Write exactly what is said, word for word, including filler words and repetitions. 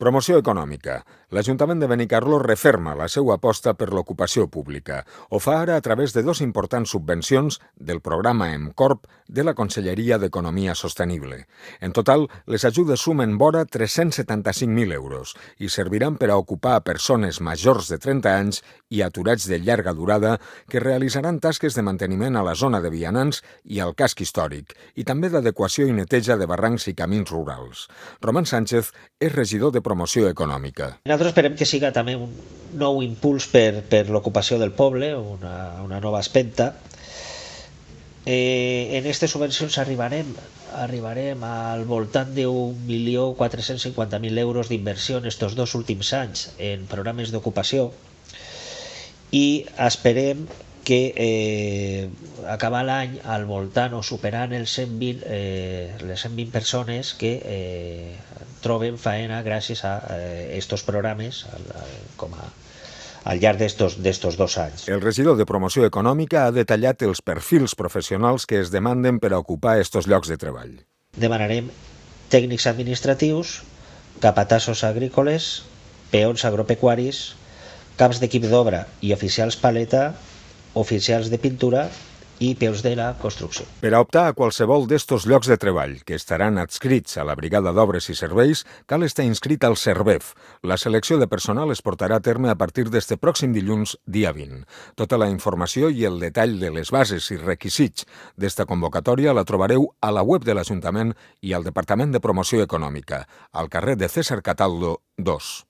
Promoció econòmica. L'Ajuntament de Benicarló referma la seva aposta per l'ocupació pública. Ho fa ara a través de dos importants subvencions del programa EMCORP de la Conselleria d'Economia Sostenible. En total, les ajudes sumen vora tres-cents setanta-cinc mil euros i serviran per a ocupar a persones majors de trenta anys i aturats de llarga durada que realitzaran tasques de manteniment a la zona de vianants i al casc històric i també d'adequació i neteja de barrancs i camins rurals. Roman Sánchez és regidor de Promoció Econòmica. Nosaltres esperem que siga també un nou impuls per, per l'ocupació del poble, una, una nova espenta. Eh, en aquestes subvencions arribarem, arribarem al voltant d'un milió quatre-cents cinquanta mil euros d'inversió en aquests dos últims anys en programes d'ocupació i esperem que eh, acabar l'any al voltant o superant els cent vint, eh, les cent vint persones que eh, troben faena gràcies a aquests eh, programes al, com a, al llarg d'estos dos anys. El regidor de Promoció Econòmica ha detallat els perfils professionals que es demanden per a ocupar aquests llocs de treball. Demanarem tècnics administratius, capatassos agrícoles, peons agropecuaris, caps d'equip d'obra i oficials paleta, oficials de pintura i peus de la construcció. Per a optar a qualsevol d'estos llocs de treball que estaran adscrits a la Brigada d'Obres i Serveis, cal estar inscrit al CERVEF. La selecció de personal es portarà a terme a partir d'este pròxim dilluns, dia vint. Tota la informació i el detall de les bases i requisits d'esta convocatòria la trobareu a la web de l'Ajuntament i al Departament de Promoció Econòmica, al carrer de César Cataldo dos.